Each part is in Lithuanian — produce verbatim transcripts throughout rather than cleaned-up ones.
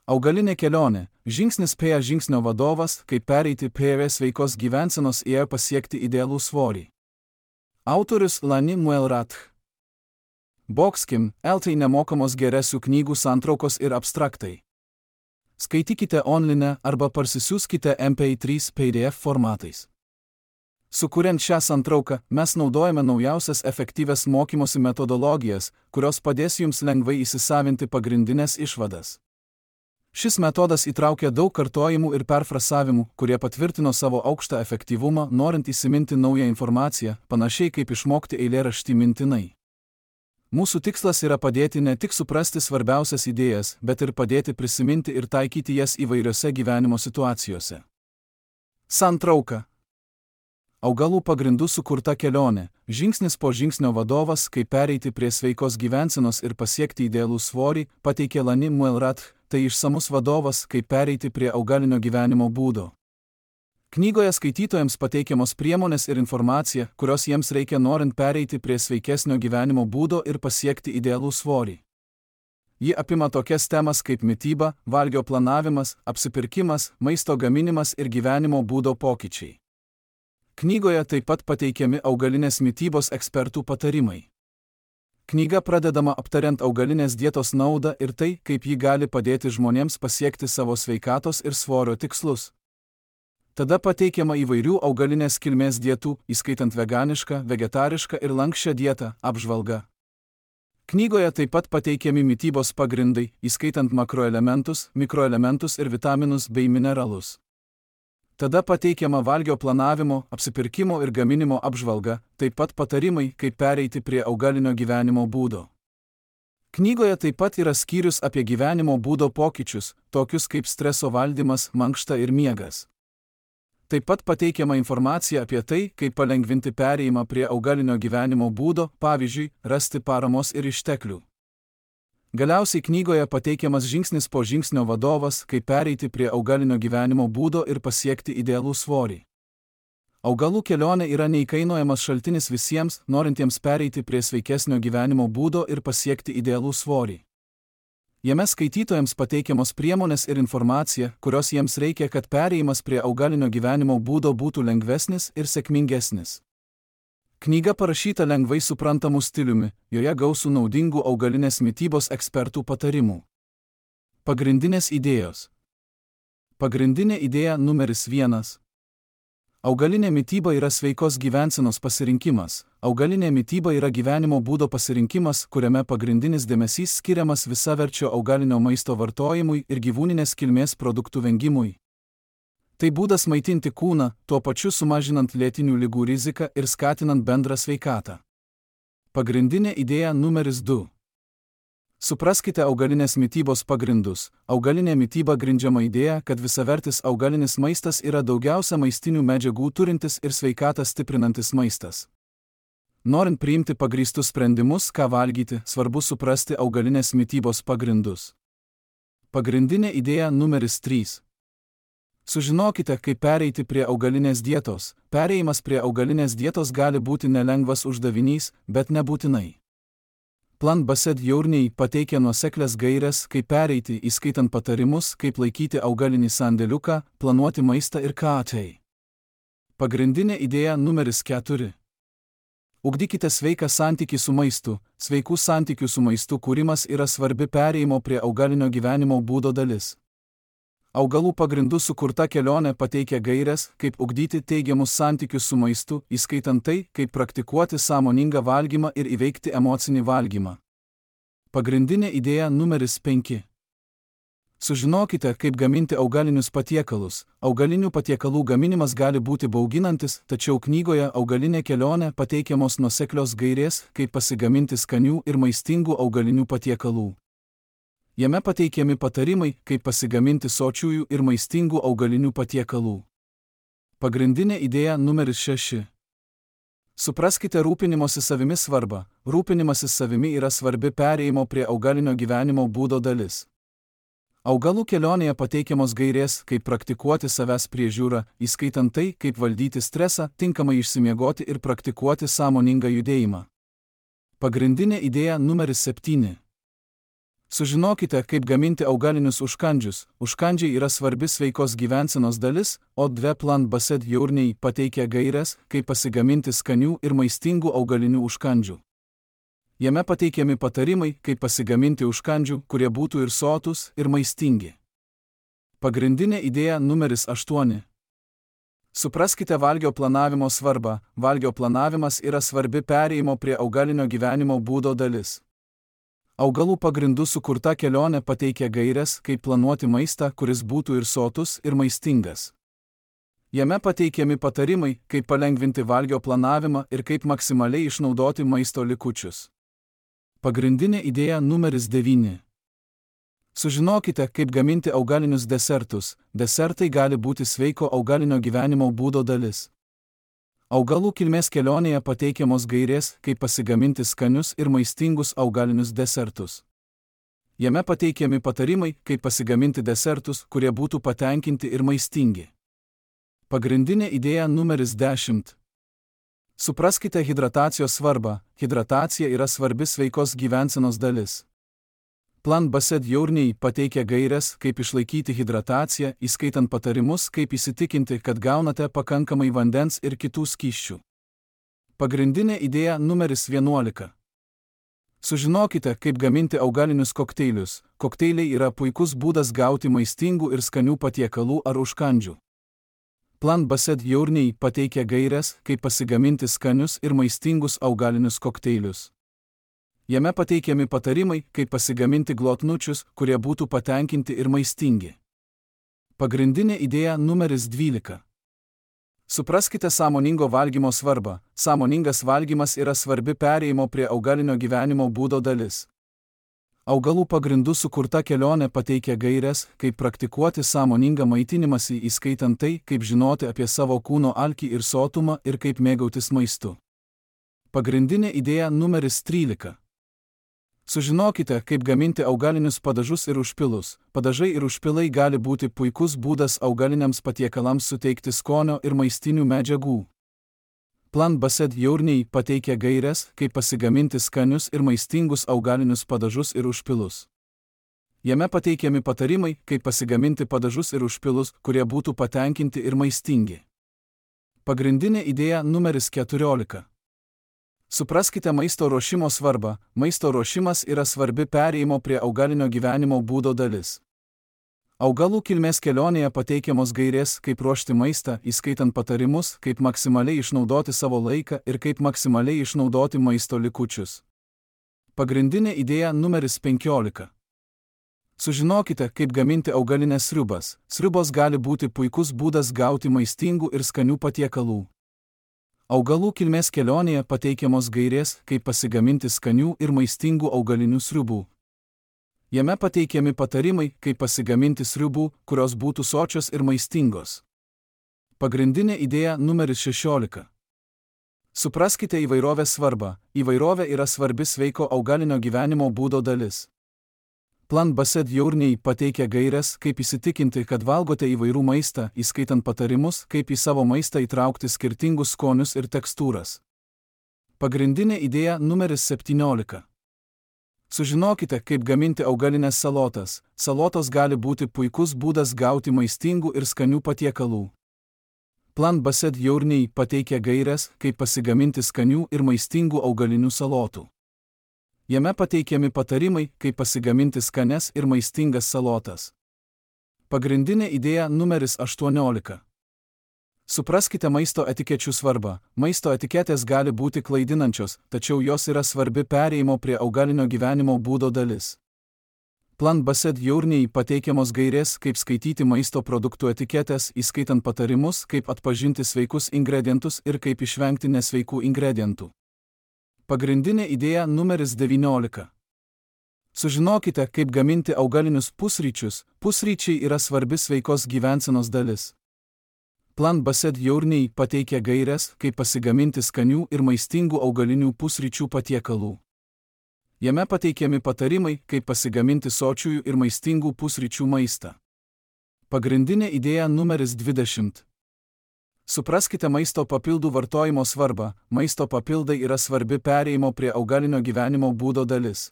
Augalinė kelionė – žingsnis prie žingsnio vadovas, kaip pereiti prie sveikos gyvensenos ir pasiekti idealų svorį. Autorius Lani Muelrat. Boxkim, L T nemokamos geresių knygų santraukos ir abstraktai. Skaitykite online arba parsisiųskite M P trys P D F formatais. Sukuriant šią santrauką, mes naudojame naujausias efektyvias mokymosi metodologijas, kurios padės jums lengvai įsisavinti pagrindinės išvadas. Šis metodas įtraukia daug kartojimų ir perfrasavimų, kurie patvirtino savo aukštą efektyvumą, norint įsiminti naują informaciją, panašiai kaip išmokti eilėraštį mintinai. Mūsų tikslas yra padėti ne tik suprasti svarbiausias idėjas, bet ir padėti prisiminti ir taikyti jas įvairiose gyvenimo situacijose. Santrauka. Augalų pagrindų sukurta kelionė, žingsnis po žingsnio vadovas, kaip pereiti prie sveikos gyvensenos ir pasiekti idealų svorį, pateikė Lani Muelrat, tai išsamus vadovas, kaip pereiti prie augalinio gyvenimo būdo. Knygoje skaitytojams pateikiamos priemonės ir informacija, kurios jiems reikia norint pereiti prie sveikesnio gyvenimo būdo ir pasiekti idealų svorį. Ji apima tokias temas kaip mityba, valgio planavimas, apsipirkimas, maisto gaminimas ir gyvenimo būdo pokyčiai. Knygoje taip pat pateikiami augalinės mitybos ekspertų patarimai. Knyga pradedama aptariant augalinės dietos naudą ir tai, kaip ji gali padėti žmonėms pasiekti savo sveikatos ir svorio tikslus. Tada pateikiama įvairių augalinės kilmės dietų, įskaitant veganišką, vegetarišką ir lanksčią dietą, apžvalga. Knygoje taip pat pateikiami mitybos pagrindai, įskaitant makroelementus, mikroelementus ir vitaminus bei mineralus. Tada pateikiama valgio planavimo, apsipirkimo ir gaminimo apžvalga, taip pat patarimai, kaip pereiti prie augalinio gyvenimo būdo. Knygoje taip pat yra skyrius apie gyvenimo būdo pokyčius, tokius kaip streso valdymas, mankšta ir miegas. Taip pat pateikiama informacija apie tai, kaip palengvinti perėjimą prie augalinio gyvenimo būdo, pavyzdžiui, rasti paramos ir išteklių. Galiausiai knygoje pateikiamas žingsnis po žingsnio vadovas, kaip pereiti prie augalinio gyvenimo būdo ir pasiekti idealų svorį. Augalų kelionė yra neįkainojamas šaltinis visiems, norintiems pereiti prie sveikesnio gyvenimo būdo ir pasiekti idealų svorį. Jame skaitytojams pateikiamos priemonės ir informacija, kurios jiems reikia, kad perėjimas prie augalinio gyvenimo būdo būtų lengvesnis ir sėkmingesnis. Knyga parašyta lengvai suprantamu stiliumi, joje gausų naudingų augalinės mitybos ekspertų patarimų. Pagrindinės idėjos. Pagrindinė idėja numeris vienas. Augalinė mityba yra sveikos gyvensenos pasirinkimas. Augalinė mityba yra gyvenimo būdo pasirinkimas, kuriame pagrindinis dėmesys skiriamas visaverčio augalinio maisto vartojimui ir gyvūninės kilmės produktų vengimui. Tai būdas maitinti kūną, tuo pačiu sumažinant lėtinių ligų riziką ir skatinant bendrą sveikatą. Pagrindinė idėja numeris du. Supraskite augalinės mitybos pagrindus. Augalinė mityba grindžiama idėja, kad visavertis augalinis maistas yra daugiausia maistinių medžiagų turintis ir sveikatą stiprinantis maistas. Norint priimti pagrįstus sprendimus, ką valgyti, svarbu suprasti augalinės mitybos pagrindus. Pagrindinė idėja numeris trys. Sužinokite, kaip pereiti prie augalinės dietos. Perėjimas prie augalinės dietos gali būti nelengvas uždavinys, bet nebūtinai. Plant Based Journey pateikia nuoseklias gaires, kaip pereiti, įskaitant patarimus, kaip laikyti augalinį sandėliuką, planuoti maistą ir ką tai. Pagrindinė idėja numeris keturi. Ugdykite sveiką santykį su maistu. Sveikų santykių su maistu kūrimas yra svarbi perėjimo prie augalinio gyvenimo būdo dalis. Augalų pagrindų sukurta kelionė pateikia gaires, kaip ugdyti teigiamus santykius su maistu, įskaitant tai, kaip praktikuoti sąmoningą valgymą ir įveikti emocinį valgymą. Pagrindinė idėja numeris penki. Sužinokite, kaip gaminti augalinius patiekalus. Augalinių patiekalų gaminimas gali būti bauginantis, tačiau knygoje Augalinė kelionė pateikiamos nuoseklios gairės, kaip pasigaminti skanių ir maistingų augalinių patiekalų. Jame pateikiami patarimai, kaip pasigaminti sočiųjų ir maistingų augalinių patiekalų. Pagrindinė idėja numeris šeši. Supraskite rūpinimosi savimi svarbą. Rūpinimasis savimi yra svarbi perėjimo prie augalinio gyvenimo būdo dalis. Augalų kelionėje pateikiamos gairės, kaip praktikuoti savęs priežiūrą, įskaitant tai, kaip valdyti stresą, tinkamai išsimiegoti ir praktikuoti sąmoningą judėjimą. Pagrindinė idėja numeris septyni. Sužinokite, kaip gaminti augalinius užkandžius. Užkandžiai yra svarbi sveikos gyvensenos dalis, o dvi Plant Based Journey pateikia gaires, kaip pasigaminti skanių ir maistingų augalinių užkandžių. Jame pateikiami patarimai, kaip pasigaminti užkandžių, kurie būtų ir sotus, ir maistingi. Pagrindinė idėja numeris aštuoni. Supraskite valgio planavimo svarbą. Valgio planavimas yra svarbi perėjimo prie augalinio gyvenimo būdo dalis. Augalų pagrindų sukurta kelionė pateikia gaires, kaip planuoti maistą, kuris būtų ir sotus, ir maistingas. Jame pateikiami patarimai, kaip palengvinti valgio planavimą ir kaip maksimaliai išnaudoti maisto likučius. Pagrindinė idėja numeris devyni. Sužinokite, kaip gaminti augalinius desertus. Desertai gali būti sveiko augalinio gyvenimo būdo dalis. Augalų kilmės kelionėje pateikiamos gairės, kaip pasigaminti skanius ir maistingus augalinius desertus. Jame pateikiami patarimai, kaip pasigaminti desertus, kurie būtų patenkinti ir maistingi. Pagrindinė idėja numeris dešimt. Supraskite hidratacijos svarbą. Hidratacija yra svarbi sveikos gyvensenos dalis. Plant Based Journey pateikia gaires, kaip išlaikyti hidrataciją, įskaitant patarimus, kaip įsitikinti, kad gaunate pakankamai vandens ir kitų skysčių. Pagrindinė idėja numeris vienuolika. Sužinokite, kaip gaminti augalinius kokteilius. Kokteiliai yra puikus būdas gauti maistingų ir skanių patiekalų ar užkandžių. Plant Based Journey pateikia gaires, kaip pasigaminti skanius ir maistingus augalinius kokteilius. Jame pateikiami patarimai, kaip pasigaminti glotnučius, kurie būtų patenkinti ir maistingi. Pagrindinė idėja numeris dvylika. Supraskite sąmoningo valgymo svarbą. Sąmoningas valgymas yra svarbi perėjimo prie augalinio gyvenimo būdo dalis. Augalų pagrindų sukurta kelionė pateikia gaires, kaip praktikuoti sąmoningą maitinimąsi, įskaitant tai, kaip žinoti apie savo kūno alkį ir sotumą ir kaip mėgautis maistu. Pagrindinė idėja numeris trylika. Sužinokite, kaip gaminti augalinius padažus ir užpilus. Padažai ir užpilai gali būti puikus būdas augaliniams patiekalams suteikti skonio ir maistinių medžiagų. Plant Based Journey pateikia gaires, kaip pasigaminti skanius ir maistingus augalinius padažus ir užpilus. Jame pateikiami patarimai, kaip pasigaminti padažus ir užpilus, kurie būtų patenkinti ir maistingi. Pagrindinė idėja numeris keturiolika. Supraskite maisto ruošimo svarbą. Maisto ruošimas yra svarbi perėjimo prie augalinio gyvenimo būdo dalis. Augalų kilmės kelionėje pateikiamos gairės, kaip ruošti maistą, įskaitant patarimus, kaip maksimaliai išnaudoti savo laiką ir kaip maksimaliai išnaudoti maisto likučius. Pagrindinė idėja numeris penkiolika. Sužinokite, kaip gaminti augalinės sriubas. Sriubos gali būti puikus būdas gauti maistingų ir skanių patiekalų. Augalų kilmės kelionėje pateikiamos gairės, kaip pasigaminti skanių ir maistingų augalinių sriubų. Jame pateikiami patarimai, kaip pasigaminti sriubų, kurios būtų sočios ir maistingos. Pagrindinė idėja numeris šešiolika. Supraskite įvairovės svarbą. Įvairovė yra svarbi sveiko augalinio gyvenimo būdo dalis. Plant Based Journey pateikia gaires, kaip įsitikinti, kad valgote įvairių maistą, įskaitant patarimus, kaip į savo maistą įtraukti skirtingus skonius ir tekstūras. Pagrindinė idėja numeris septyniolika. Sužinokite, kaip gaminti augalinės salotas. Salotos gali būti puikus būdas gauti maistingų ir skanių patiekalų. Plant Based Journey pateikia gaires, kaip pasigaminti skanių ir maistingų augalinių salotų. Jame pateikiami patarimai, kaip pasigaminti skanias ir maistingas salotas. Pagrindinė idėja numeris aštuoniolika. Supraskite maisto etikečių svarbą. Maisto etiketės gali būti klaidinančios, tačiau jos yra svarbi perėjimo prie augalinio gyvenimo būdo dalis. Plant Based Journey pateikiamos gairės, kaip skaityti maisto produktų etiketės, įskaitant patarimus, kaip atpažinti sveikus ingredientus ir kaip išvengti nesveikų ingredientų. Pagrindinė idėja numeris devyniolika. Sužinokite, kaip gaminti augalinius pusryčius. Pusryčiai yra svarbi sveikos gyvensenos dalis. Plant Based Journey pateikia gaires, kaip pasigaminti skanių ir maistingų augalinių pusryčių patiekalų. Jame pateikiami patarimai, kaip pasigaminti sočiųjų ir maistingų pusryčių maistą. Pagrindinė idėja numeris dvidešimt. Supraskite maisto papildų vartojimo svarbą. Maisto papildai yra svarbi perėjimo prie augalinio gyvenimo būdo dalis.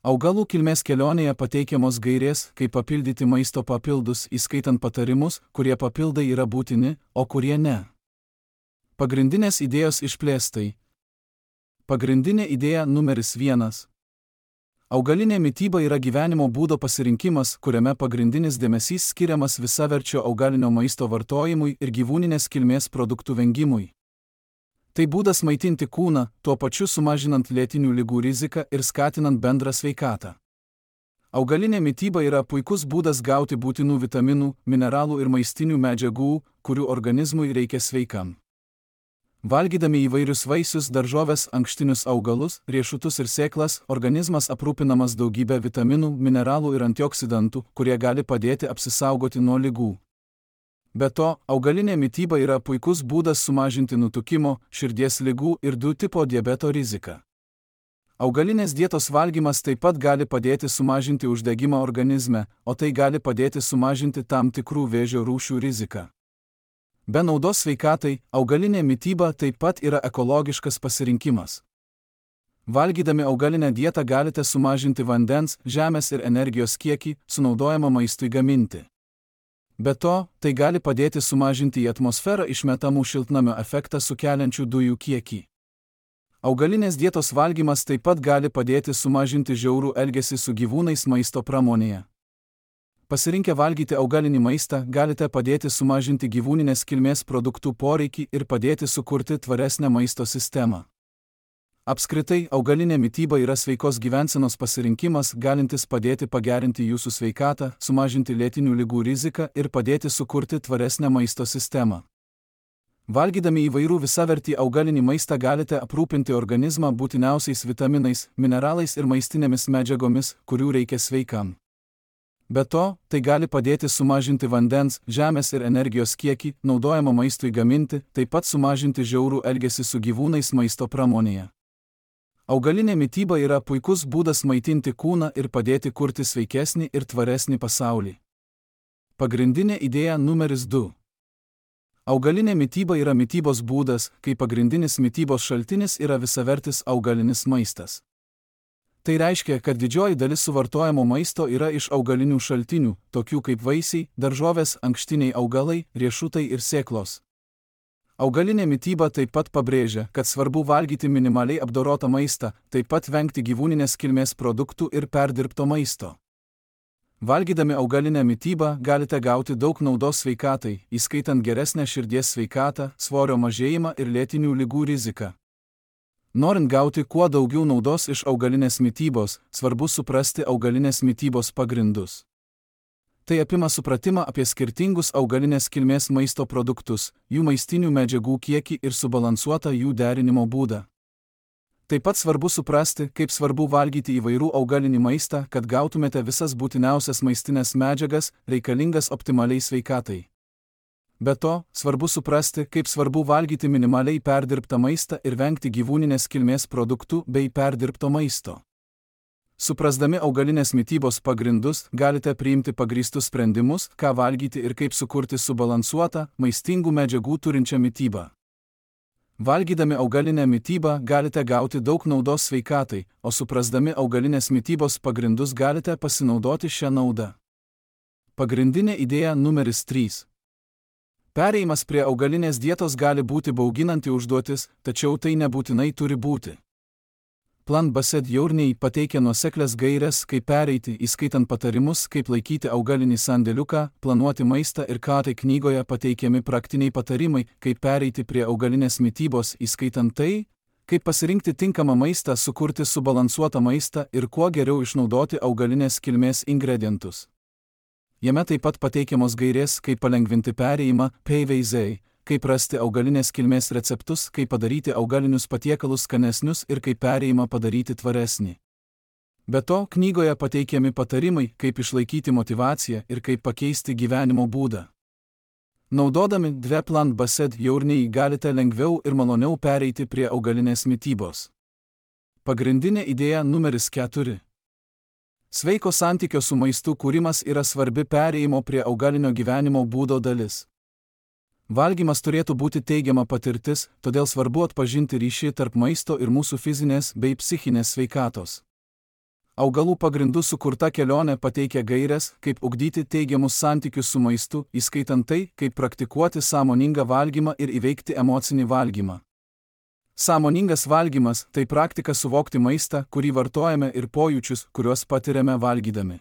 Augalų kilmės kelionėje pateikiamos gairės, kaip papildyti maisto papildus, įskaitant patarimus, kurie papildai yra būtini, o kurie ne. Pagrindinės idėjos išplėstai. Pagrindinė idėja numeris vienas. Augalinė mityba yra gyvenimo būdo pasirinkimas, kuriame pagrindinis dėmesys skiriamas visaverčio augalinio maisto vartojimui ir gyvūninės kilmės produktų vengimui. Tai būdas maitinti kūną, tuo pačiu sumažinant lėtinių ligų riziką ir skatinant bendrą sveikatą. Augalinė mityba yra puikus būdas gauti būtinų vitaminų, mineralų ir maistinių medžiagų, kurių organizmui reikia sveikam. Valgydami įvairius vaisius, daržoves, ankštinius augalus, riešutus ir sėklas, organizmas aprūpinamas daugybę vitaminų, mineralų ir antioksidantų, kurie gali padėti apsisaugoti nuo ligų. Be to, augalinė mityba yra puikus būdas sumažinti nutukimo, širdies ligų ir du tipo diabeto riziką. Augalinės dietos valgymas taip pat gali padėti sumažinti uždegimą organizme, o tai gali padėti sumažinti tam tikrų vėžio rūšių riziką. Be naudos sveikatai, augalinė mityba taip pat yra ekologiškas pasirinkimas. Valgydami augalinę dietą galite sumažinti vandens, žemės ir energijos kiekį, sunaudojamą maistui gaminti. Be to, tai gali padėti sumažinti į atmosferą išmetamų šiltnamio efektą sukeliančių dujų kiekį. Augalinės dietos valgymas taip pat gali padėti sumažinti žiaurų elgesį su gyvūnais maisto pramonėje. Pasirinkę valgyti augalinį maistą, galite padėti sumažinti gyvūninės kilmės produktų poreikį ir padėti sukurti tvaresnę maisto sistemą. Apskritai, augalinė mityba yra sveikos gyvensenos pasirinkimas, galintis padėti pagerinti jūsų sveikatą, sumažinti lėtinių ligų riziką ir padėti sukurti tvaresnę maisto sistemą. Valgydami įvairių visavertį augalinį maistą galite aprūpinti organizmą būtiniausiais vitaminais, mineralais ir maistinėmis medžiagomis, kurių reikia sveikam. Be to, tai gali padėti sumažinti vandens, žemės ir energijos kiekį, naudojamą maistui gaminti, taip pat sumažinti žiaurų elgesį su gyvūnais maisto pramonėje. Augalinė mityba yra puikus būdas maitinti kūną ir padėti kurti sveikesnį ir tvaresnį pasaulį. Pagrindinė idėja numeris du. Augalinė mityba yra mitybos būdas, kai pagrindinis mitybos šaltinis yra visavertis augalinis maistas. Tai reiškia, kad didžioji dalis suvartojamo maisto yra iš augalinių šaltinių, tokių kaip vaisiai, daržovės, ankštiniai augalai, riešutai ir sėklos. Augalinė mityba taip pat pabrėžia, kad svarbu valgyti minimaliai apdorotą maistą, taip pat vengti gyvūninės kilmės produktų ir perdirbto maisto. Valgydami augalinę mitybą galite gauti daug naudos sveikatai, įskaitant geresnę širdies sveikatą, svorio mažėjimą ir lėtinių ligų riziką. Norint gauti kuo daugiau naudos iš augalinės mitybos, svarbu suprasti augalinės mitybos pagrindus. Tai apima supratimą apie skirtingus augalinės kilmės maisto produktus, jų maistinių medžiagų kiekį ir subalansuotą jų derinimo būdą. Taip pat svarbu suprasti, kaip svarbu valgyti įvairių augalinį maistą, kad gautumėte visas būtiniausias maistinės medžiagas, reikalingas optimaliai sveikatai. Be to, svarbu suprasti, kaip svarbu valgyti minimaliai perdirbtą maistą ir vengti gyvūninės kilmės produktų bei perdirbto maisto. Suprasdami augalinės mitybos pagrindus, galite priimti pagrįstus sprendimus, ką valgyti ir kaip sukurti subalansuotą, maistingų medžiagų turinčią mitybą. Valgydami augalinę mitybą galite gauti daug naudos sveikatai, o suprasdami augalinės mitybos pagrindus galite pasinaudoti šią naudą. Pagrindinė idėja numeris trys. Perėjimas prie augalinės dietos gali būti bauginanti užduotis, tačiau tai nebūtinai turi būti. Plan Based Journey pateikia nuoseklias gaires, kaip pereiti, įskaitant patarimus, kaip laikyti augalinį sandėliuką, planuoti maistą ir ką tai knygoje pateikiami praktiniai patarimai, kaip pereiti prie augalinės mitybos, įskaitant tai, kaip pasirinkti tinkamą maistą, sukurti subalansuotą maistą ir kuo geriau išnaudoti augalinės kilmės ingredientus. Jame taip pat pateikiamos gairės, kaip palengvinti perėjimą, paveiziai, kaip rasti augalinės kilmės receptus, kaip padaryti augalinius patiekalus skanesnius ir kaip perėjimą padaryti tvaresnį. Be to, knygoje pateikiami patarimai, kaip išlaikyti motyvaciją ir kaip pakeisti gyvenimo būdą. Naudodami dvi Plan Based Journey galite lengviau ir maloniau pereiti prie augalinės mitybos. Pagrindinė idėja numeris keturi. Sveiko santykio su maistu kūrimas yra svarbi perėjimo prie augalinio gyvenimo būdo dalis. Valgymas turėtų būti teigiama patirtis, todėl svarbu atpažinti ryšį tarp maisto ir mūsų fizinės bei psichinės sveikatos. Augalų pagrindų sukurta kelionė pateikia gaires, kaip ugdyti teigiamus santykius su maistu, įskaitant tai, kaip praktikuoti sąmoningą valgymą ir įveikti emocinį valgymą. Sąmoningas valgymas – tai praktika suvokti maistą, kurį vartojame, ir pojūčius, kuriuos patiriame valgydami.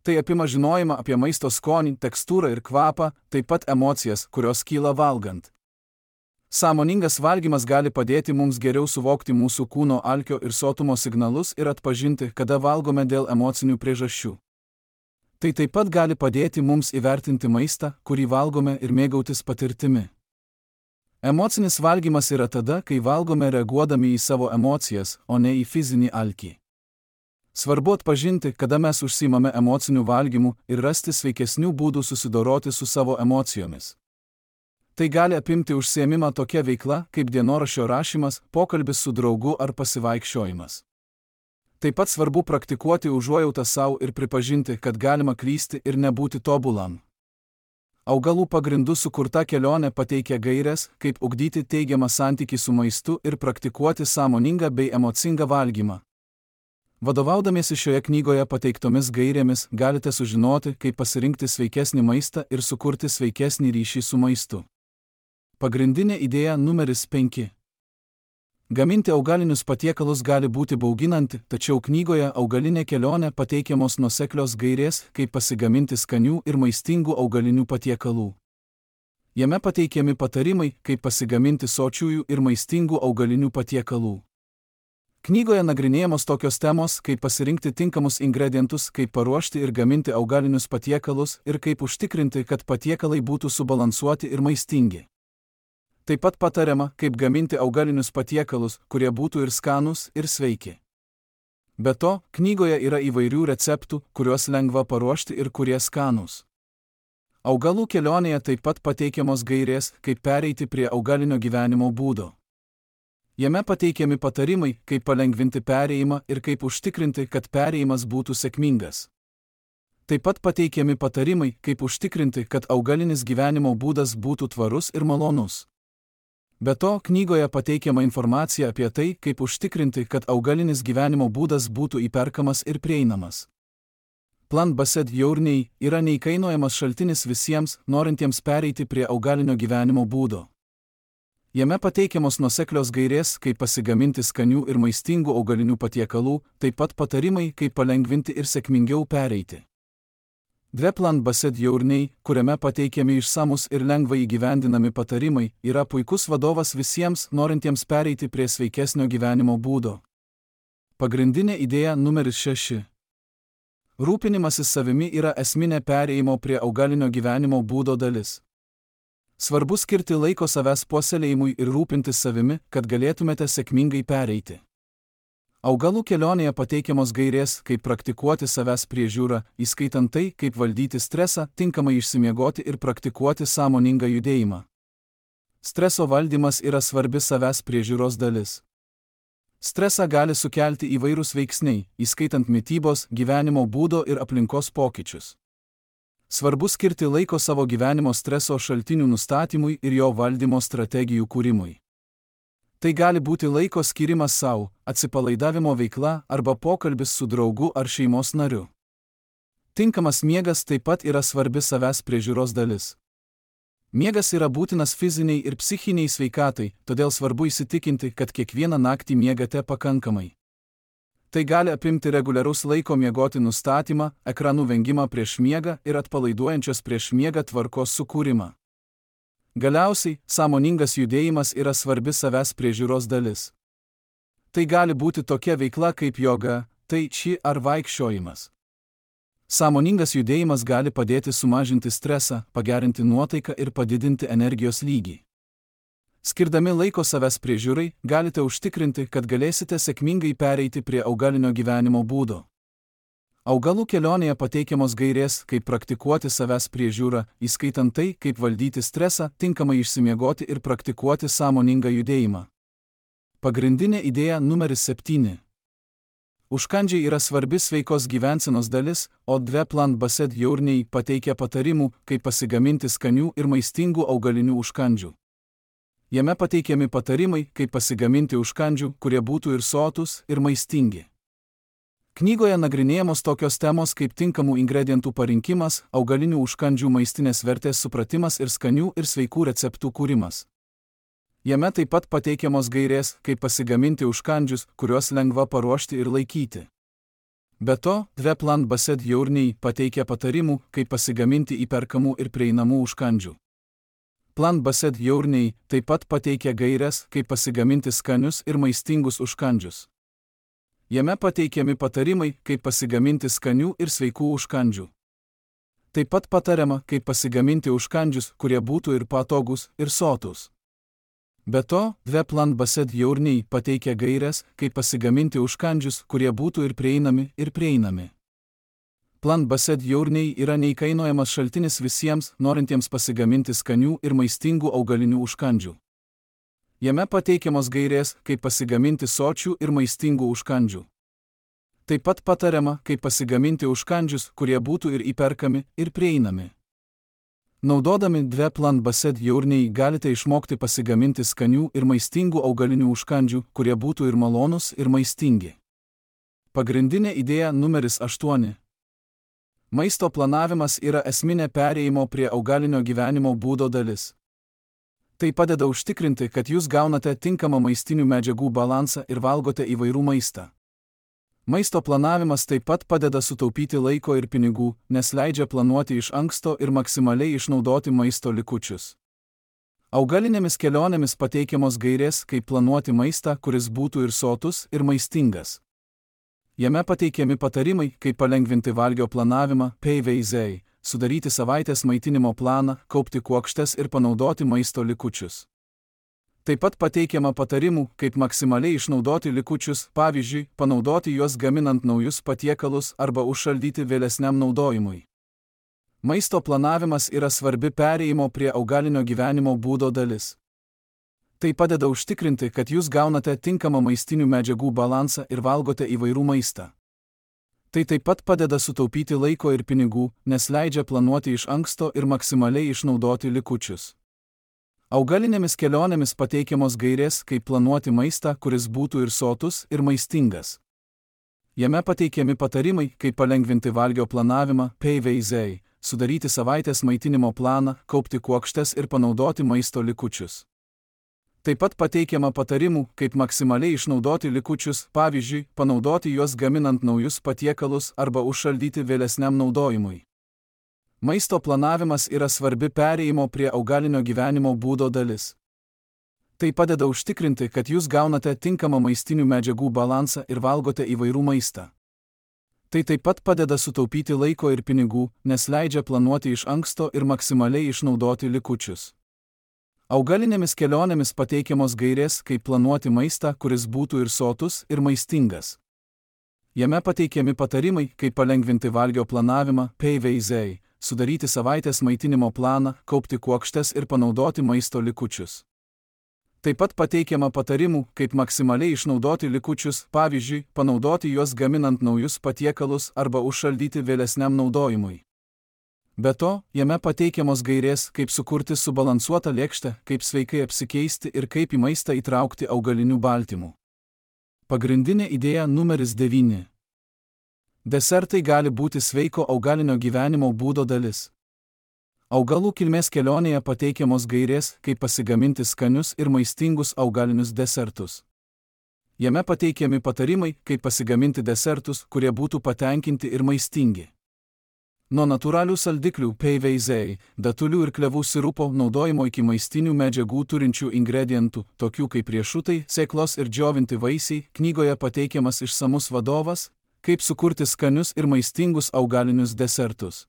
Tai apima žinojimą apie maisto skonį, tekstūrą ir kvapą, taip pat emocijas, kurios kyla valgant. Sąmoningas valgymas gali padėti mums geriau suvokti mūsų kūno alkio ir sotumo signalus ir atpažinti, kada valgome dėl emocinių priežasčių. Tai taip pat gali padėti mums įvertinti maistą, kurį valgome, ir mėgautis patirtimi. Emocinis valgymas yra tada, kai valgome reaguodami į savo emocijas, o ne į fizinį alkį. Svarbu atpažinti, kada mes užsiimame emociniu valgymu ir rasti sveikesnių būdų susidoroti su savo emocijomis. Tai gali apimti užsiėmimą tokia veikla, kaip dienoraščio rašymas, pokalbis su draugu ar pasivaikščiojimas. Taip pat svarbu praktikuoti užuojautą savo ir pripažinti, kad galima klysti ir nebūti tobulam. Augalų pagrindų sukurta kelionė pateikia gaires, kaip ugdyti teigiamą santykį su maistu ir praktikuoti sąmoningą bei emocingą valgymą. Vadovaudamiesi šioje knygoje pateiktomis gairėmis, galite sužinoti, kaip pasirinkti sveikesnį maistą ir sukurti sveikesnį ryšį su maistu. Pagrindinė idėja numeris penki. Gaminti augalinius patiekalus gali būti bauginanti, tačiau knygoje Augalinė kelionė pateikiamos nuoseklios gairės, kaip pasigaminti skanių ir maistingų augalinių patiekalų. Jame pateikiami patarimai, kaip pasigaminti sočiųjų ir maistingų augalinių patiekalų. Knygoje nagrinėjamos tokios temos, kaip pasirinkti tinkamus ingredientus, kaip paruošti ir gaminti augalinius patiekalus ir kaip užtikrinti, kad patiekalai būtų subalansuoti ir maistingi. Taip pat patariama, kaip gaminti augalinius patiekalus, kurie būtų ir skanūs, ir sveiki. Be to, knygoje yra įvairių receptų, kuriuos lengva paruošti ir kurie skanūs. Augalų kelionėje taip pat pateikiamos gairės, kaip pereiti prie augalinio gyvenimo būdo. Jame pateikiami patarimai, kaip palengvinti perėjimą ir kaip užtikrinti, kad perėjimas būtų sėkmingas. Taip pat pateikiami patarimai, kaip užtikrinti, kad augalinis gyvenimo būdas būtų tvarus ir malonus. Be to, knygoje pateikiama informacija apie tai, kaip užtikrinti, kad augalinis gyvenimo būdas būtų įperkamas ir prieinamas. Plant-based Journey yra neįkainojamas šaltinis visiems, norintiems pereiti prie augalinio gyvenimo būdo. Jame pateikiamos nuoseklios gairės, kaip pasigaminti skanių ir maistingų augalinių patiekalų, taip pat patarimai, kaip palengvinti ir sėkmingiau pereiti. Dve Plant-based Journey, kuriame pateikiami išsamus ir lengvai įgyvendinami patarimai, yra puikus vadovas visiems, norintiems pereiti prie sveikesnio gyvenimo būdo. Pagrindinė idėja numeris šeši. Rūpinimasis savimi yra esminė perėjimo prie augalinio gyvenimo būdo dalis. Svarbu skirti laiko savęs puoselėjimui ir rūpintis savimi, kad galėtumėte sėkmingai pereiti. Augalų kelionėje pateikiamos gairės, kaip praktikuoti savęs priežiūrą, įskaitant tai, kaip valdyti stresą, tinkamai išsimiegoti ir praktikuoti sąmoningą judėjimą. Streso valdymas yra svarbi savęs priežiūros dalis. Stresą gali sukelti įvairūs veiksniai, įskaitant mitybos, gyvenimo būdo ir aplinkos pokyčius. Svarbu skirti laiko savo gyvenimo streso šaltinių nustatymui ir jo valdymo strategijų kūrimui. Tai gali būti laiko skirimas savo, atsipalaidavimo veikla arba pokalbis su draugu ar šeimos nariu. Tinkamas miegas taip pat yra svarbi savęs priežiūros dalis. Miegas yra būtinas fiziniai ir psichiniai sveikatai, todėl svarbu įsitikinti, kad kiekvieną naktį miegate pakankamai. Tai gali apimti reguliarus laiko miegoti nustatymą, ekranų vengimą prieš miegą ir atpalaiduojančios prieš miegą tvarkos sukūrimą. Galiausiai, sąmoningas judėjimas yra svarbi savęs priežiūros dalis. Tai gali būti tokia veikla kaip joga, tai či ar vaikščiojimas. Sąmoningas judėjimas gali padėti sumažinti stresą, pagerinti nuotaiką ir padidinti energijos lygį. Skirdami laiko savęs priežiūrai, galite užtikrinti, kad galėsite sėkmingai pereiti prie augalinio gyvenimo būdo. Augalų kelionėje pateikiamos gairės, kaip praktikuoti savęs priežiūrą, įskaitant tai, kaip valdyti stresą, tinkamai išsimiegoti ir praktikuoti sąmoningą judėjimą. Pagrindinė idėja numeris septyni. Užkandžiai yra svarbi sveikos gyvensenos dalis, o dve Plant-based Journey pateikia patarimų, kaip pasigaminti skanių ir maistingų augalinių užkandžių. Jame pateikiami patarimai, kaip pasigaminti užkandžių, kurie būtų ir sotus, ir maistingi. Knygoje nagrinėjamos tokios temos kaip tinkamų ingredientų parinkimas, augalinių užkandžių maistinės vertės supratimas ir skanių ir sveikų receptų kūrimas. Jame taip pat pateikiamos gairės, kaip pasigaminti užkandžius, kuriuos lengva paruošti ir laikyti. Be to, dvi Plant Based Journey pateikia patarimų, kaip pasigaminti įperkamų ir prieinamų užkandžių. Plant Based Journey taip pat pateikia gairės, kaip pasigaminti skanius ir maistingus užkandžius. Jame pateikiami patarimai, kaip pasigaminti skanių ir sveikų užkandžių. Taip pat patariama, kaip pasigaminti užkandžius, kurie būtų ir patogūs, ir sotūs. Be to, dvi Plant Based Journey pateikia gairės, kaip pasigaminti užkandžius, kurie būtų ir prieinami, ir prieinami. Plant Based Journey yra neįkainojamas šaltinis visiems, norintiems pasigaminti skanių ir maistingų augalinių užkandžių. Jame pateikiamos gairės, kaip pasigaminti sočių ir maistingų užkandžių. Taip pat patariama, kaip pasigaminti užkandžius, kurie būtų ir įperkami, ir prieinami. Naudodami dvi Plant Based Journey galite išmokti pasigaminti skanių ir maistingų augalinių užkandžių, kurie būtų ir malonūs, ir maistingi. Pagrindinė idėja numeris aštuoni. Maisto planavimas yra esminė perėjimo prie augalinio gyvenimo būdo dalis. Tai padeda užtikrinti, kad jūs gaunate tinkamą maistinių medžiagų balansą ir valgote įvairų maistą. Maisto planavimas taip pat padeda sutaupyti laiko ir pinigų, nes leidžia planuoti iš anksto ir maksimaliai išnaudoti maisto likučius. Augalinėmis kelionėmis pateikiamos gairės, kaip planuoti maistą, kuris būtų ir sotus, ir maistingas. Jame pateikiami patarimai, kaip palengvinti valgio planavimą, P V Z, sudaryti savaitės maitinimo planą, kaupti kuokštes ir panaudoti maisto likučius. Taip pat pateikiama patarimų, kaip maksimaliai išnaudoti likučius, pavyzdžiui, panaudoti juos gaminant naujus patiekalus arba užšaldyti vėlesniam naudojimui. Maisto planavimas yra svarbi perėjimo prie augalinio gyvenimo būdo dalis. Tai padeda užtikrinti, kad jūs gaunate tinkamą maistinių medžiagų balansą ir valgote įvairų maistą. Tai taip pat padeda sutaupyti laiko ir pinigų, nes leidžia planuoti iš anksto ir maksimaliai išnaudoti likučius. Augalinėmis kelionėmis pateikiamos gairės, kaip planuoti maistą, kuris būtų ir sotus, ir maistingas. Jame pateikiami patarimai, kaip palengvinti valgio planavimą, P V Z, sudaryti savaitės maitinimo planą, kaupti kuokštes ir panaudoti maisto likučius. Taip pat pateikiama patarimų, kaip maksimaliai išnaudoti likučius, pavyzdžiui, panaudoti juos gaminant naujus patiekalus arba užšaldyti vėlesniam naudojimui. Maisto planavimas yra svarbi perėjimo prie augalinio gyvenimo būdo dalis. Tai padeda užtikrinti, kad jūs gaunate tinkamą maistinių medžiagų balansą ir valgote įvairų maistą. Tai taip pat padeda sutaupyti laiko ir pinigų, nes leidžia planuoti iš anksto ir maksimaliai išnaudoti likučius. Augalinėmis kelionėmis pateikiamos gairės, kaip planuoti maistą, kuris būtų ir sotus, ir maistingas. Jame pateikiami patarimai, kaip palengvinti valgio planavimą, P V Z, sudaryti savaitės maitinimo planą, kaupti kuokštes ir panaudoti maisto likučius. Taip pat pateikiama patarimų, kaip maksimaliai išnaudoti likučius, pavyzdžiui, panaudoti juos gaminant naujus patiekalus arba užšaldyti vėlesniam naudojimui. Be to, jame pateikiamos gairės, kaip sukurti subalansuotą lėkštę, kaip sveikai apsikeisti ir kaip į maistą įtraukti augalinių baltymų. Pagrindinė idėja numeris devyni. Desertai gali būti sveiko augalinio gyvenimo būdo dalis. Augalų kilmės kelionėje pateikiamos gairės, kaip pasigaminti skanius ir maistingus augalinius desertus. Jame pateikiami patarimai, kaip pasigaminti desertus, kurie būtų patenkinti ir maistingi. Nuo natūralių saldiklių P V Z, datulių ir klevų sirupo naudojimo iki maistinių medžiagų turinčių ingredientų, tokių kaip riešutai, sėklos ir džiovinti vaisiai, knygoje pateikiamas išsamus vadovas, kaip sukurti skanius ir maistingus augalinius desertus.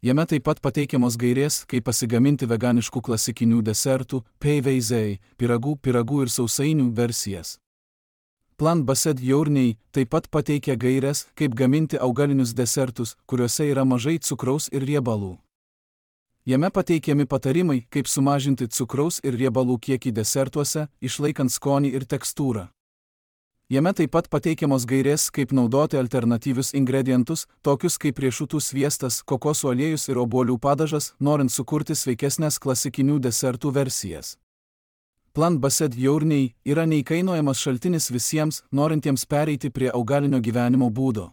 Jame taip pat pateikiamos gairės, kaip pasigaminti veganiškų klasikinių desertų, P V Z, pyragų, pyragų ir sausainių versijas. Plant Based Journey taip pat pateikia gaires, kaip gaminti augalinius desertus, kuriuose yra mažai cukraus ir riebalų. Jame pateikiami patarimai, kaip sumažinti cukraus ir riebalų kiekį desertuose, išlaikant skonį ir tekstūrą. Jame taip pat pateikiamos gairės, kaip naudoti alternatyvius ingredientus, tokius kaip riešutų sviestas, kokosų aliejus ir obuolių padažas, norint sukurti sveikesnės klasikinių desertų versijas. Plant Based Journey yra neįkainojamas šaltinis visiems, norintiems pereiti prie augalinio gyvenimo būdo.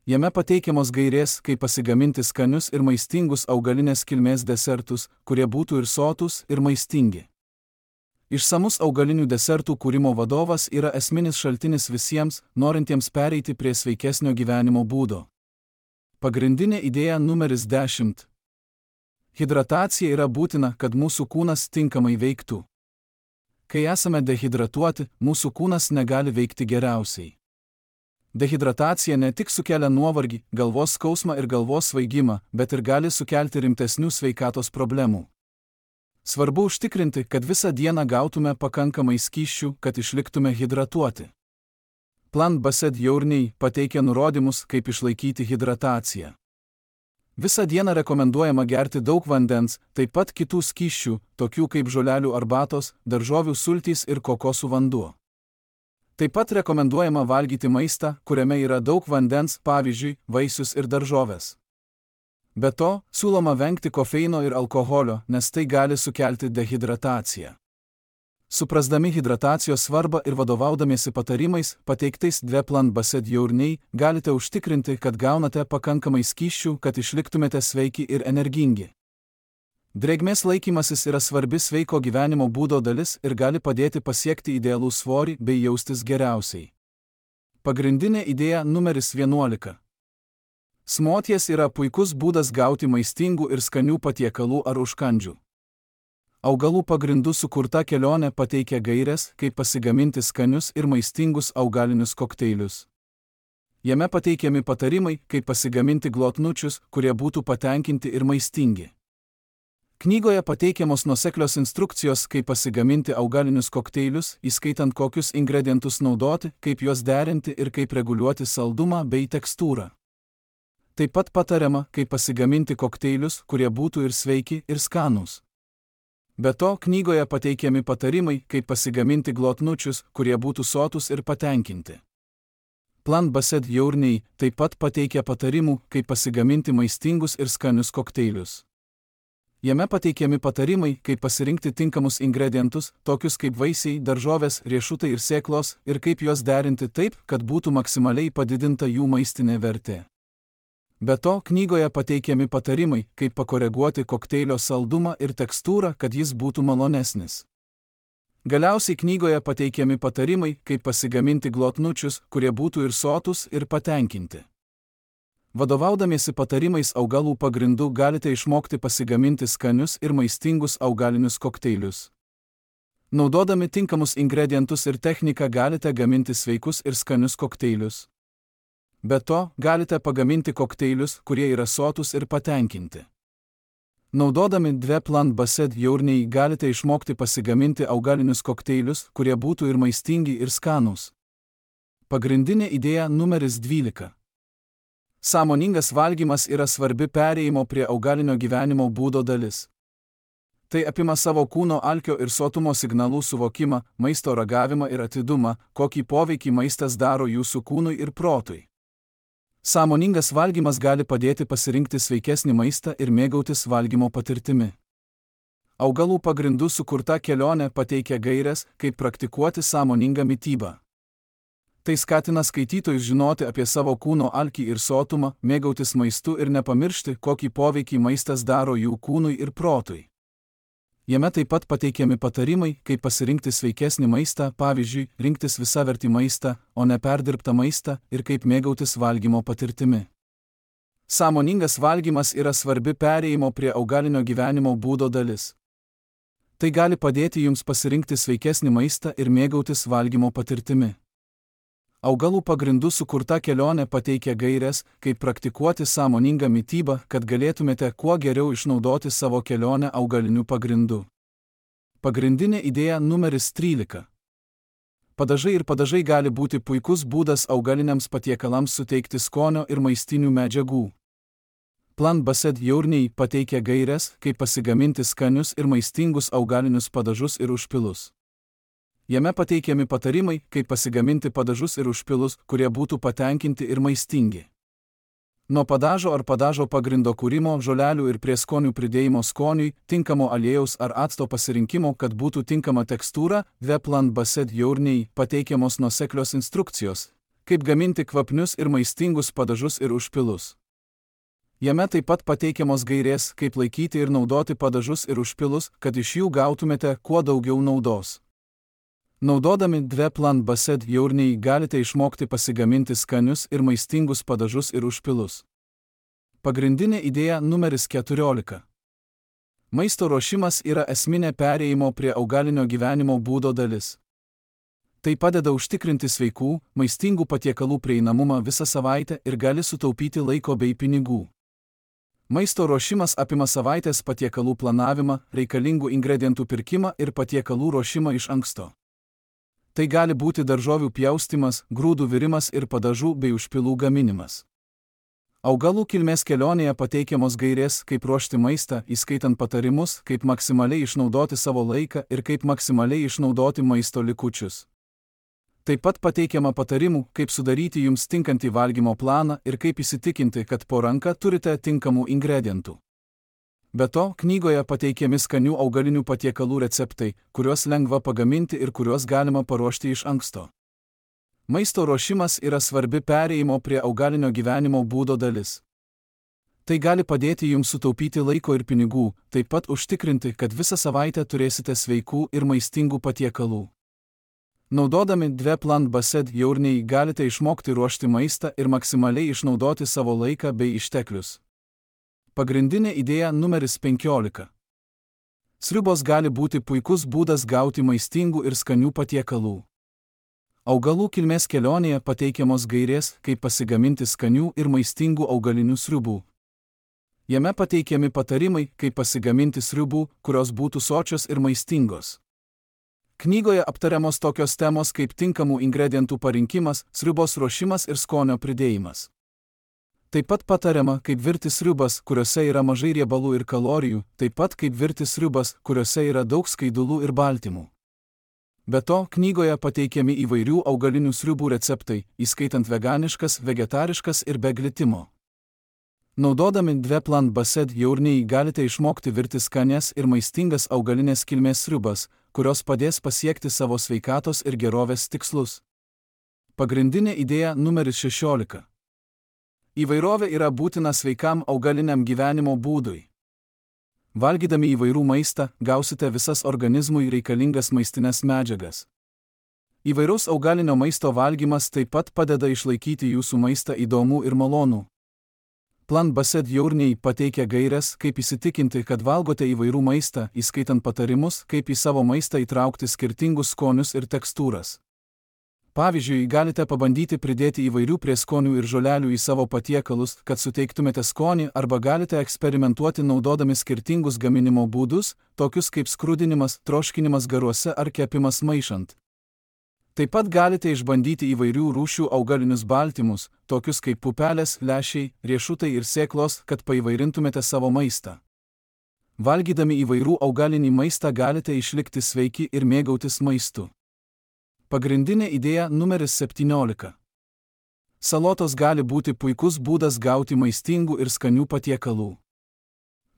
Jame pateikiamos gairės, kaip pasigaminti skanius ir maistingus augalinės kilmės desertus, kurie būtų ir sotus, ir maistingi. Išsamus augalinių desertų kūrimo vadovas yra esminis šaltinis visiems, norintiems pereiti prie sveikesnio gyvenimo būdo. Pagrindinė idėja numeris dešimt. Hidratacija yra būtina, kad mūsų kūnas tinkamai veiktų. Kai esame dehidratuoti, mūsų kūnas negali veikti geriausiai. Dehidratacija ne tik sukelia nuovargį, galvos skausmą ir galvos svaigimą, bet ir gali sukelti rimtesnių sveikatos problemų. Svarbu užtikrinti, kad visą dieną gautume pakankamai skysčių, kad išliktume hidratuoti. Plant Based Journey pateikia nurodymus, kaip išlaikyti hidrataciją. Visą dieną rekomenduojama gerti daug vandens, taip pat kitų skysčių, tokių kaip žolelių arbatos, daržovių sultys ir kokosų vanduo. Taip pat rekomenduojama valgyti maistą, kuriame yra daug vandens, pavyzdžiui, vaisius ir daržovės. Be to, siūloma vengti kofeino ir alkoholio, nes tai gali sukelti dehidrataciją. Suprasdami hidratacijos svarbą ir vadovaudamiesi patarimais, pateiktais dve Plant Based Journey, galite užtikrinti, kad gaunate pakankamai skysčių, kad išliktumėte sveiki ir energingi. Drėgmės laikymasis yra svarbi sveiko gyvenimo būdo dalis ir gali padėti pasiekti idealų svorį bei jaustis geriausiai. Pagrindinė idėja numeris vienuolika. Smoothies yra puikus būdas gauti maistingų ir skanių patiekalų ar užkandžių. Augalų pagrindų sukurta kelionė pateikia gaires, kaip pasigaminti skanius ir maistingus augalinius kokteilius. Jame pateikiami patarimai, kaip pasigaminti glotnučius, kurie būtų patenkinti ir maistingi. Knygoje pateikiamos nuoseklios instrukcijos, kaip pasigaminti augalinius kokteilius, įskaitant kokius ingredientus naudoti, kaip juos derinti ir kaip reguliuoti saldumą bei tekstūrą. Taip pat patariama, kaip pasigaminti kokteilius, kurie būtų ir sveiki, ir skanūs. Be to, knygoje pateikiami patarimai, kaip pasigaminti glotnučius, kurie būtų sotus ir patenkinti. Plant Based Journey taip pat pateikia patarimų, kaip pasigaminti maistingus ir skanius kokteilius. Jame pateikiami patarimai, kaip pasirinkti tinkamus ingredientus, tokius kaip vaisiai, daržovės, riešutai ir sėklos, ir kaip juos derinti taip, kad būtų maksimaliai padidinta jų maistinė vertė. Be to, knygoje pateikiami patarimai, kaip pakoreguoti kokteilio saldumą ir tekstūrą, kad jis būtų malonesnis. Galiausiai knygoje pateikiami patarimai, kaip pasigaminti glotnučius, kurie būtų ir sotus, ir patenkinti. Vadovaudamiesi patarimais augalų pagrindų galite išmokti pasigaminti skanius ir maistingus augalinius kokteilius. Naudodami tinkamus ingredientus ir techniką galite gaminti sveikus ir skanius kokteilius. Be to, galite pagaminti kokteilius, kurie yra sotus ir patenkinti. Naudodami dve Plant Based Journey galite išmokti pasigaminti augalinius kokteilius, kurie būtų ir maistingi ir skanūs. Pagrindinė idėja numeris dvylika. Sąmoningas valgymas yra svarbi perėjimo prie augalinio gyvenimo būdo dalis. Tai apima savo kūno alkio ir sotumo signalų suvokimą, maisto ragavimą ir atidumą, kokį poveikį maistas daro jūsų kūnui ir protui. Sąmoningas valgymas gali padėti pasirinkti sveikesnį maistą ir mėgautis valgymo patirtimi. Augalų pagrindų sukurta kelionė pateikia gaires, kaip praktikuoti sąmoningą mitybą. Tai skatina skaitytojus žinoti apie savo kūno alkį ir sotumą, mėgautis maistu ir nepamiršti, kokį poveikį maistas daro jų kūnui ir protui. Jame taip pat pateikiami patarimai, kaip pasirinkti sveikesnį maistą, pavyzdžiui, rinktis visavertį maistą, o ne perdirbtą maistą, ir kaip mėgautis valgymo patirtimi. Sąmoningas valgymas yra svarbi perėjimo prie augalinio gyvenimo būdo dalis. Tai gali padėti jums pasirinkti sveikesnį maistą ir mėgautis valgymo patirtimi. Augalų pagrindų sukurta kelionė pateikia gaires, kaip praktikuoti sąmoningą mitybą, kad galėtumėte kuo geriau išnaudoti savo kelionę augalinių pagrindų. Pagrindinė idėja numeris trylika. Padažai ir padažai gali būti puikus būdas augaliniams patiekalams suteikti skonio ir maistinių medžiagų. Plant Based Journey pateikia gaires, kaip pasigaminti skanius ir maistingus augalinius padažus ir užpilus. Jame pateikiami patarimai, kaip pasigaminti padažus ir užpilus, kurie būtų patenkinti ir maistingi. Nuo padažo ar padažo pagrindo kūrimo, žolelių ir prieskonių pridėjimo skoniui, tinkamo aliejaus ar acto pasirinkimo, kad būtų tinkama tekstūra, Veplan Based Journey pateikiamos nuoseklios instrukcijos, kaip gaminti kvapnius ir maistingus padažus ir užpilus. Jame taip pat pateikiamos gairės, kaip laikyti ir naudoti padažus ir užpilus, kad iš jų gautumėte kuo daugiau naudos. Naudodami Veplan Based Journey galite išmokti pasigaminti skanius ir maistingus padažus ir užpilus. Pagrindinė idėja numeris keturiolika. Maisto ruošimas yra esminė perėjimo prie augalinio gyvenimo būdo dalis. Tai padeda užtikrinti sveikų, maistingų patiekalų prieinamumą visą savaitę ir gali sutaupyti laiko bei pinigų. Maisto ruošimas apima savaitės patiekalų planavimą, reikalingų ingredientų pirkimą ir patiekalų ruošimą iš anksto. Tai gali būti daržovių pjaustymas, grūdų virimas ir padažų bei užpilų gaminimas. Augalų kilmės kelionėje pateikiamos gairės, kaip ruošti maistą, įskaitant patarimus, kaip maksimaliai išnaudoti savo laiką ir kaip maksimaliai išnaudoti maisto likučius. Taip pat pateikiama patarimų, kaip sudaryti jums tinkantį valgymo planą ir kaip įsitikinti, kad po ranka turite tinkamų ingredientų. Be to, knygoje pateikiami skanių augalinių patiekalų receptai, kuriuos lengva pagaminti ir kuriuos galima paruošti iš anksto. Maisto ruošimas yra svarbi perėjimo prie augalinio gyvenimo būdo dalis. Tai gali padėti jums sutaupyti laiko ir pinigų, taip pat užtikrinti, kad visą savaitę turėsite sveikų ir maistingų patiekalų. Naudodami Veplan Based Journey galite išmokti ruošti maistą ir maksimaliai išnaudoti savo laiką bei išteklius. Pagrindinė idėja numeris penkiolika. Sriubos gali būti puikus būdas gauti maistingų ir skanių patiekalų. Augalų kilmės kelionėje pateikiamos gairės, kaip pasigaminti skanių ir maistingų augalinių sriubų. Jame pateikiami patarimai, kaip pasigaminti sriubų, kurios būtų sočios ir maistingos. Knygoje aptariamos tokios temos kaip tinkamų ingredientų parinkimas, sriubos ruošimas ir skonio pridėjimas. Taip pat patariama, kaip virti sriubas, kuriuose yra mažai riebalų ir kalorijų, taip pat kaip virti sriubas, kuriuose yra daug skaidulų ir baltymų. Be to, knygoje pateikiami įvairių augalinių sriubų receptai, įskaitant veganiškas, vegetariškas ir be glitimo. Naudodami Veplan Based Journey galite išmokti virti skanias ir maistingas augalinės kilmės sriubas, kurios padės pasiekti savo sveikatos ir gerovės tikslus. Pagrindinė idėja numeris šešiolika. Įvairovė yra būtina sveikam augaliniam gyvenimo būdui. Valgydami įvairių maistą, gausite visas organizmui reikalingas maistinės medžiagas. Įvairaus augalinio maisto valgymas taip pat padeda išlaikyti jūsų maistą įdomų ir malonų. Veplan Based Journey pateikia gaires, kaip įsitikinti, kad valgote įvairių maistą, įskaitant patarimus, kaip į savo maistą įtraukti skirtingus skonius ir tekstūras. Pavyzdžiui, galite pabandyti pridėti įvairių prieskonių ir žolelių į savo patiekalus, kad suteiktumėte skonį, arba galite eksperimentuoti naudodami skirtingus gaminimo būdus, tokius kaip skrudinimas, troškinimas garuose ar kepimas maišant. Taip pat galite išbandyti įvairių rūšių augalinius baltymus, tokius kaip pupelės, lęšiai, riešutai ir sėklos, kad paįvairintumėte savo maistą. Valgydami įvairių augalinį maistą galite išlikti sveiki ir mėgautis maistu. Pagrindinė idėja numeris septyniolika. Salotos gali būti puikus būdas gauti maistingų ir skanių patiekalų.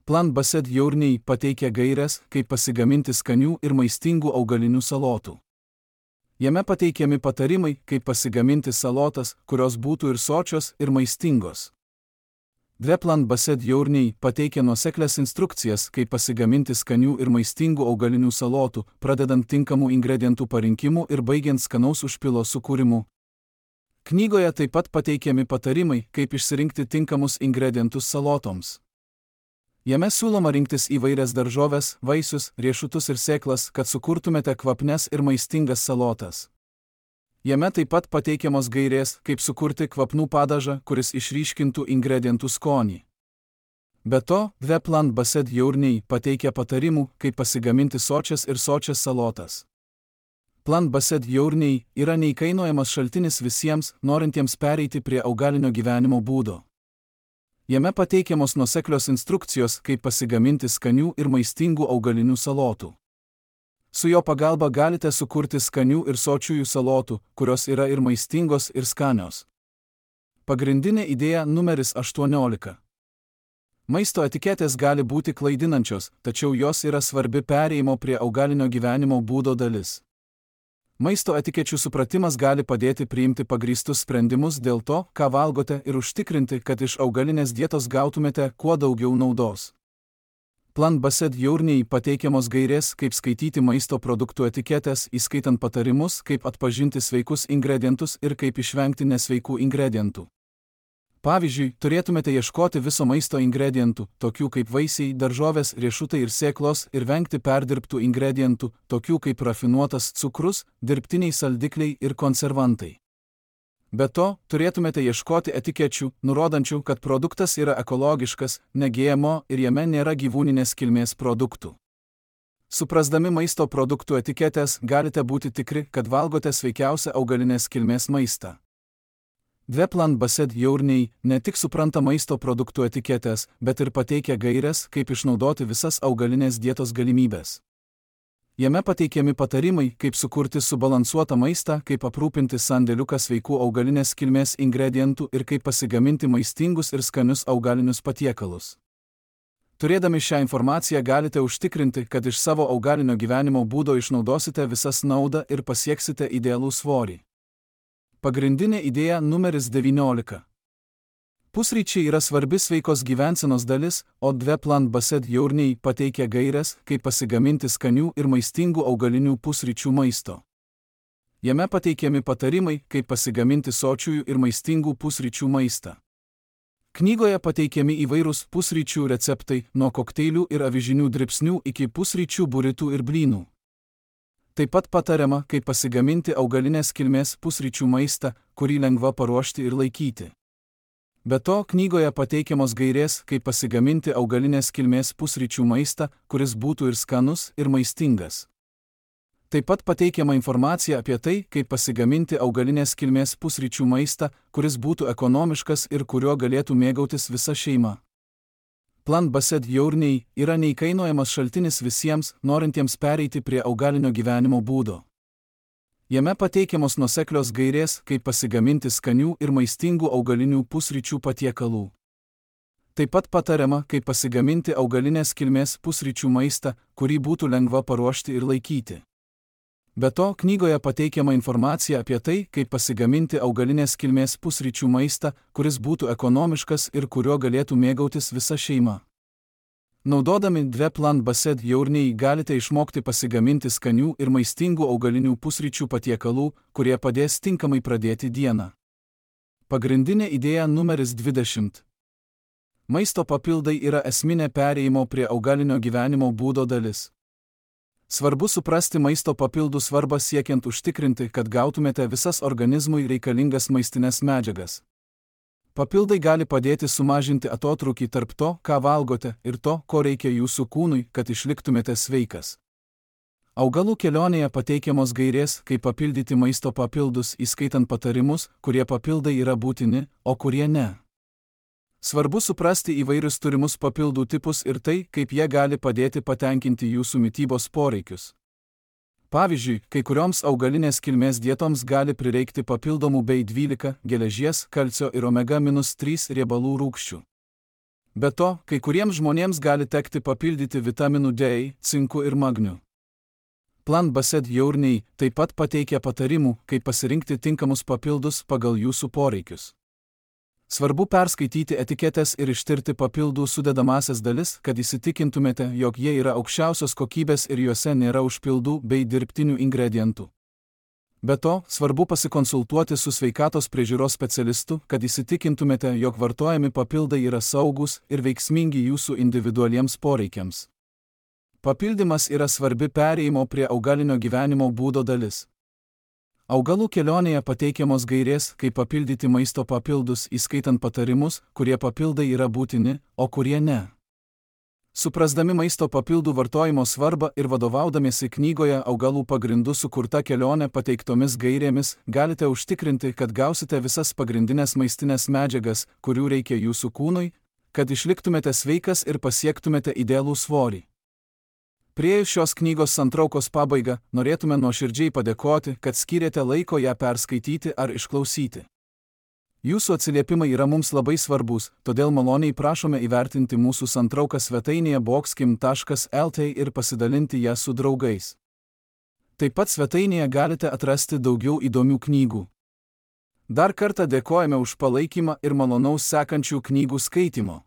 Veplan Based Journey pateikia gaires, kaip pasigaminti skanių ir maistingų augalinių salotų. Jame pateikiami patarimai, kaip pasigaminti salotas, kurios būtų ir sočios, ir maistingos. Veplan Based Journey pateikia nuoseklias instrukcijas, kaip pasigaminti skanių ir maistingų augalinių salotų, pradedant tinkamų ingredientų parinkimu ir baigiant skanaus užpilo sukūrimu. Knygoje taip pat pateikiami patarimai, kaip išsirinkti tinkamus ingredientus salotoms. Jame siūloma rinktis įvairias daržoves, vaisius, riešutus ir sėklas, kad sukurtumėte kvapnes ir maistingas salotas. Jame taip pat pateikiamos gairės, kaip sukurti kvapnų padažą, kuris išryškintų ingredientų skonį. Be to, Veplan Based Journey pateikia patarimų, kaip pasigaminti sočias ir sočias salotas. Veplan Based Journey yra neįkainojamas šaltinis visiems, norintiems pereiti prie augalinio gyvenimo būdo. Jame pateikiamos nuoseklios instrukcijos, kaip pasigaminti skanių ir maistingų augalinių salotų. Su jo pagalba galite sukurti skanių ir sočiųjų salotų, kurios yra ir maistingos, ir skanios. Pagrindinė idėja numeris aštuoniolika. Maisto etiketės gali būti klaidinančios, tačiau jos yra svarbi perėjimo prie augalinio gyvenimo būdo dalis. Maisto etikečių supratimas gali padėti priimti pagrįstus sprendimus dėl to, ką valgote ir užtikrinti, kad iš augalinės dietos gautumėte kuo daugiau naudos. Plant Based Journey pateikiamos gairės, kaip skaityti maisto produktų etiketės, įskaitant patarimus, kaip atpažinti sveikus ingredientus ir kaip išvengti nesveikų ingredientų. Pavyzdžiui, turėtumėte ieškoti viso maisto ingredientų, tokių kaip vaisiai, daržovės, riešutai ir sėklos, ir vengti perdirbtų ingredientų, tokių kaip rafinuotas cukrus, dirbtiniai saldikliai ir konservantai. Be to, turėtumėte ieškoti etikečių, nurodančių, kad produktas yra ekologiškas, ne G M O ir jame nėra gyvūninės kilmės produktų. Suprasdami maisto produktų etiketės, galite būti tikri, kad valgote sveikiausią augalinės kilmės maistą. Dve Plant Based Journey ne tik supranta maisto produktų etiketės, bet ir pateikia gaires, kaip išnaudoti visas augalinės dietos galimybės. Jame pateikiami patarimai, kaip sukurti subalansuotą maistą, kaip aprūpinti sandėliuką sveikų augalinės kilmės ingredientų ir kaip pasigaminti maistingus ir skanius augalinius patiekalus. Turėdami šią informaciją galite užtikrinti, kad iš savo augalinio gyvenimo būdo išnaudosite visas naudą ir pasieksite idealų svorį. Pagrindinė idėja numeris devyniolika. Pusryčiai yra svarbi sveikos gyvensenos dalis, o Dve Plant Based Journey pateikia gaires, kaip pasigaminti skanių ir maistingų augalinių pusryčių maisto. Jame pateikiami patarimai, kaip pasigaminti sočiųjų ir maistingų pusryčių maistą. Knygoje pateikiami įvairūs pusryčių receptai, nuo kokteilių ir avižinių dribsnių iki pusryčių buritų ir blynų. Taip pat patariama, kaip pasigaminti augalinės kilmės pusryčių maistą, kurį lengva paruošti ir laikyti. Be to, knygoje pateikiamos gairės, kaip pasigaminti augalinės kilmės pusryčių maistą, kuris būtų ir skanus, ir maistingas. Taip pat pateikiama informacija apie tai, kaip pasigaminti augalinės kilmės pusryčių maistą, kuris būtų ekonomiškas ir kuriuo galėtų mėgautis visa šeima. Plant Based Journey yra neįkainojamas šaltinis visiems, norintiems pereiti prie augalinio gyvenimo būdo. Jame pateikiamos nuoseklios gairės, kaip pasigaminti skanių ir maistingų augalinių pusryčių patiekalų. Taip pat patariama, kaip pasigaminti augalinės kilmės pusryčių maistą, kurį būtų lengva paruošti ir laikyti. Be to, knygoje pateikiama informacija apie tai, kaip pasigaminti augalinės kilmės pusryčių maistą, kuris būtų ekonomiškas ir kuriuo galėtų mėgautis visa šeima. Naudodami Dve Plant Based Journey galite išmokti pasigaminti skanių ir maistingų augalinių pusryčių patiekalų, kurie padės tinkamai pradėti dieną. Pagrindinė idėja numeris dvidešimt. Maisto papildai yra esminė perėjimo prie augalinio gyvenimo būdo dalis. Svarbu suprasti maisto papildų svarbą siekiant užtikrinti, kad gautumėte visas organizmui reikalingas maistinės medžiagas. Papildai gali padėti sumažinti atotrūkį tarp to, ką valgote, ir to, ko reikia jūsų kūnui, kad išliktumėte sveikas. Augalų kelionėje pateikiamos gairės, kaip papildyti maisto papildus, įskaitant patarimus, kurie papildai yra būtini, o kurie ne. Svarbu suprasti įvairius turimus papildų tipus ir tai, kaip jie gali padėti patenkinti jūsų mitybos poreikius. Pavyzdžiui, kai kurioms augalinės kilmės dietoms gali prireikti papildomų B dvylika, geležies, kalcio ir omega trys riebalų rūgščių. Be to, kai kuriems žmonėms gali tekti papildyti vitaminų D, cinku ir magniu. Plant Based Journey taip pat pateikia patarimų, kaip pasirinkti tinkamus papildus pagal jūsų poreikius. Svarbu perskaityti etiketės ir ištirti papildų sudedamąsias dalis, kad įsitikintumėte, jog jie yra aukščiausios kokybės ir juose nėra užpildų bei dirbtinių ingredientų. Be to, svarbu pasikonsultuoti su sveikatos priežiūros specialistu, kad įsitikintumėte, jog vartojami papildai yra saugūs ir veiksmingi jūsų individualiems poreikiams. Papildymas yra svarbi perėjimo prie augalinio gyvenimo būdo dalis. Augalų kelionėje pateikiamos gairės, kaip papildyti maisto papildus, įskaitant patarimus, kurie papildai yra būtini, o kurie ne. Suprasdami maisto papildų vartojimo svarbą ir vadovaudamiesi knygoje augalų pagrindų sukurta kelionė pateiktomis gairėmis, galite užtikrinti, kad gausite visas pagrindinės maistinės medžiagas, kurių reikia jūsų kūnui, kad išliktumėte sveikas ir pasiektumėte idealų svorį. Priėjus šios knygos santraukos pabaigą, norėtume nuoširdžiai padėkoti, kad skyrėte laiko ją perskaityti ar išklausyti. Jūsų atsiliepimai yra mums labai svarbus, todėl maloniai prašome įvertinti mūsų santrauką svetainėje boxkim taškas el tė ir pasidalinti ją su draugais. Taip pat svetainėje galite atrasti daugiau įdomių knygų. Dar kartą dėkojame už palaikymą ir malonaus sekančių knygų skaitymo.